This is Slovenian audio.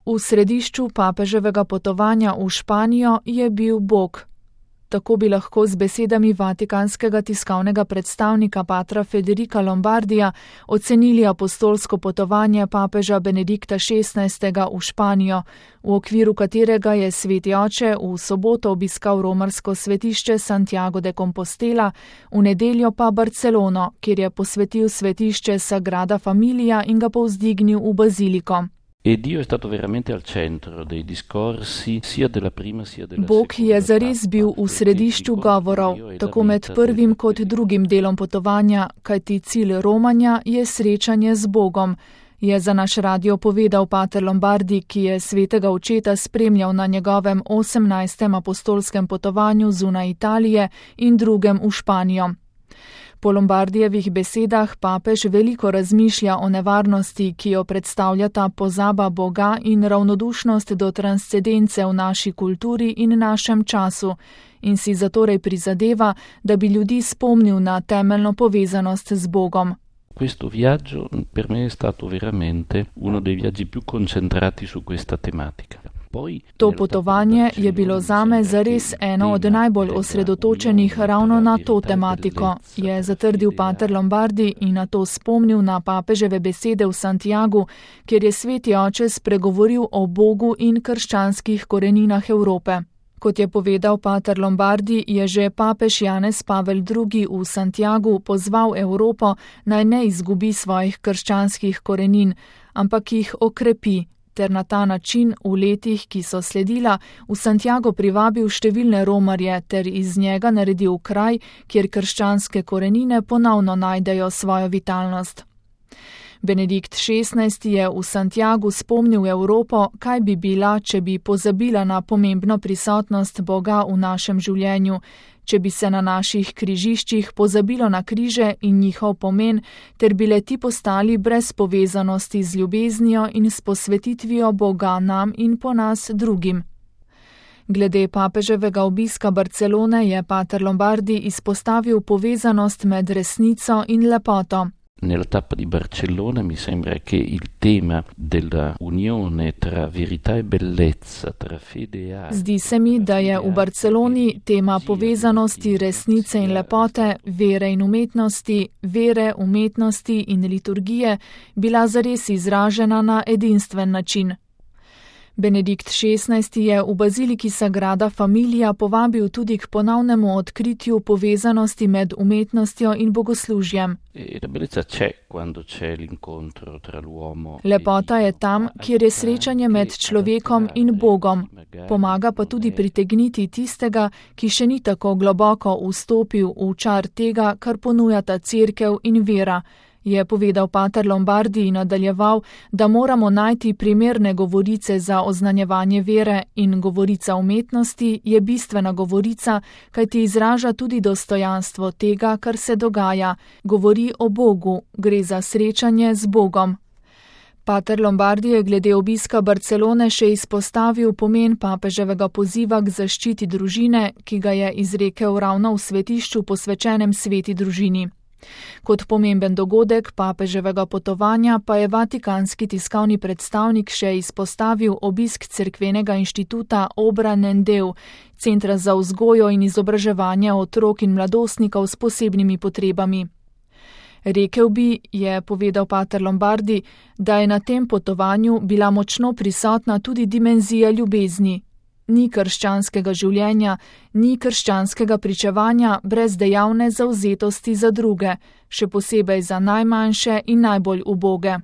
V središču papeževega potovanja v Španijo je bil Bog. Tako bi lahko z besedami vatikanskega tiskovnega predstavnika patra Federica Lombardija ocenili apostolsko potovanje papeža Benedikta XVI. V Španijo, v okviru katerega je sveti oče v soboto obiskal romarsko svetišče Santiago de Compostela, v nedeljo pa Barcelono, kjer je posvetil svetišče Sagrada Familia in ga povzdignil v baziliko. Bog je zares bil v središču govorov, tako med prvim kot drugim delom potovanja, kajti cilj romanja je srečanje z Bogom, je za naš radio povedal pater Lombardi, ki je svetega očeta spremljal na njegovem 18. apostolskem potovanju zunaj Italije in drugem v Španijo. Po Lombardijevih besedah papež veliko razmišlja o nevarnosti, ki jo predstavljata pozaba Boga in ravnodušnost do transcendence v naši kulturi in našem času, in si zatorej prizadeva, da bi ljudi spomnil na temeljno povezanost z Bogom. Questo viaggio per me è stato veramente uno dei viaggi più concentrati su questa tematica. To potovanje je bilo zame zares eno od najbolj osredotočenih ravno na to tematiko, je zatrdil pater Lombardi in na to spomnil na papeževe besede v Santiagu, kjer je sveti oče spregovoril o Bogu in krščanskih koreninah Evrope. Kot je povedal pater Lombardi, je že papež Janez Pavel II. V Santiagu pozval Evropo, naj ne izgubi svojih krščanskih korenin, ampak jih okrepi, ter na ta način v letih, ki so sledila, v Santiago privabil številne romarje ter iz njega naredil kraj, kjer krščanske korenine ponovno najdejo svojo vitalnost. Benedikt XVI. Je v Santiagu spomnil Evropo, kaj bi bila, če bi pozabila na pomembno prisotnost Boga v našem življenju, če bi se na naših križiščih pozabilo na križe in njihov pomen, ter bile ti postali brez povezanosti z ljubeznijo in s posvetitvijo Boga nam in po nas drugim. Glede papeževega obiska Barcelone je pater Lombardi izpostavil povezanost med resnico in lepoto. Nella tappa di Barcellona mi sembra che il tema della unione tra verità e bellezza, tra fede e arte. Zdi se mi, da je v Barceloni tema povezanosti resnice in lepote, vere in umetnosti, vere, umetnosti in liturgije bila zares izražena na edinstven način. Benedikt XVI. Je v baziliki Sagrada Familia povabil tudi k ponovnemu odkritju povezanosti med umetnostjo in bogoslužjem. Lepota je tam, kjer je srečanje med človekom in Bogom. Pomaga pa tudi pritegniti tistega, ki še ni tako globoko vstopil v čar tega, kar ponujata cerkev in vera, je povedal pater Lombardi in nadaljeval, da moramo najti primerne govorice za oznanjevanje vere in govorica umetnosti je bistvena govorica, kajti izraža tudi dostojanstvo tega, kar se dogaja, govori o Bogu, gre za srečanje z Bogom. Pater Lombardi je glede obiska Barcelone še izpostavil pomen papeževega poziva k zaščiti družine, ki ga je izrekel ravno v svetišču posvečenem sveti družini. Kot pomemben dogodek papeževega potovanja pa je vatikanski tiskovni predstavnik še izpostavil obisk cerkvenega inštituta Obra Nendeu, centra za vzgojo in izobraževanje otrok in mladostnikov s posebnimi potrebami. Rekel bi, je povedal pater Lombardi, da je na tem potovanju bila močno prisotna tudi dimenzija ljubezni. Ni krščanskega življenja, ni krščanskega pričevanja brez dejavne zavzetosti za druge, še posebej za najmanjše in najbolj uboge.